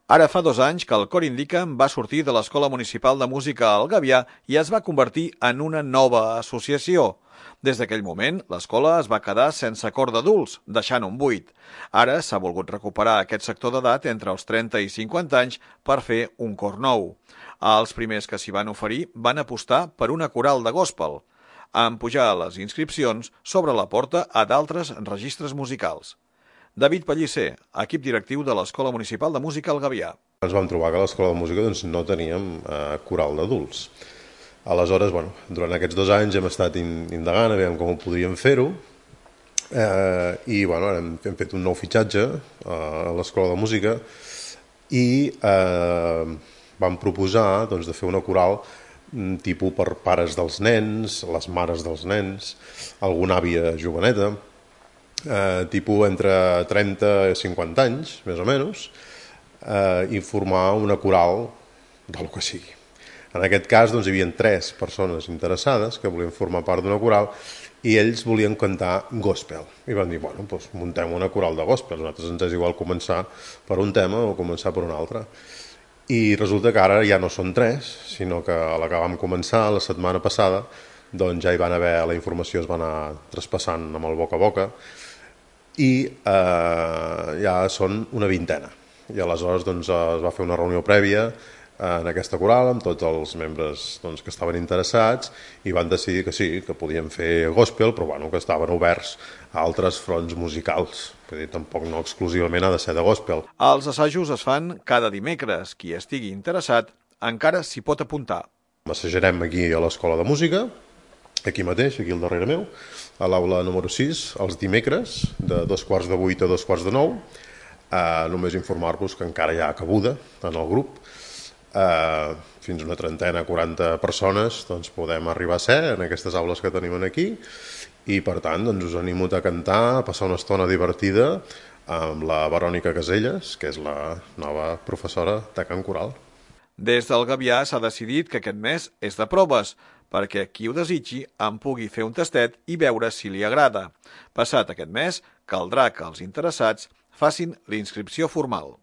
Ara fa 2 anys que el Cor Indica'm va sortir de l'Escola Municipal de Música al Gavià i es va convertir en una nova associació. Des d'aquell moment, l'escola es va quedar sense cor d'adults, deixant un buit. Ara s'ha volgut recuperar aquest sector d'edat entre els 30 i 50 anys per fer un cor nou. Els primers que s'hi van oferir van apostar per una coral de gospel, en pujar les inscripcions s'obre la porta a d'altres registres musicals. David Pellicer, equip directiu de l'Escola Municipal de Música al Gavià. Ens vam trobar que a l'Escola de Música no teníem coral d'adults. Aleshores, durant aquests 2 anys hem estat indagant a veure com ho podríem fer-ho i hem fet un nou fitxatge a l'Escola de Música i vam proposar de fer una coral tipus per pares dels nens, les mares dels nens, alguna àvia joveneta, tipus entre 30 i 50 anys, més o menys, i formar una coral del que sigui. En aquest cas hi havia 3 persones interessades que volien formar part d'una coral i ells volien cantar gospel. I van dir, muntem una coral de gospel, a nosaltres ens és igual començar per un tema o començar per un altre. I resulta que ara ja no són 3, sinó que a la que vam començar la setmana passada, ja hi van haver, la informació es va anar traspassant amb el boca a boca, i ja són una vintena. I aleshores es va fer una reunió prèvia en aquesta coral amb tots els membres que estaven interessats i van decidir que sí, que podien fer gospel, però que estaven oberts a altres fronts musicals. Vull dir, tampoc no exclusivament ha de ser de gospel. Els assajos es fan cada dimecres. Qui estigui interessat encara s'hi pot apuntar. Assajarem aquí a l'Escola de Música, aquí mateix, aquí al darrere meu, a l'aula número 6, els dimecres, de 7:45 a 8:45. Només informar-vos que encara hi ha cabuda en el grup. Fins una 30, 40 persones podem arribar a ser en aquestes aules que tenim aquí i per tant us animo a cantar, a passar una estona divertida amb la Verònica Caselles, que és la nova professora de cant coral. Des del Gavià s'ha decidit que aquest mes és de proves, perquè qui ho desitgi en pugui fer un tastet i veure si li agrada. Passat aquest mes, caldrà que els interessats facin l'inscripció formal.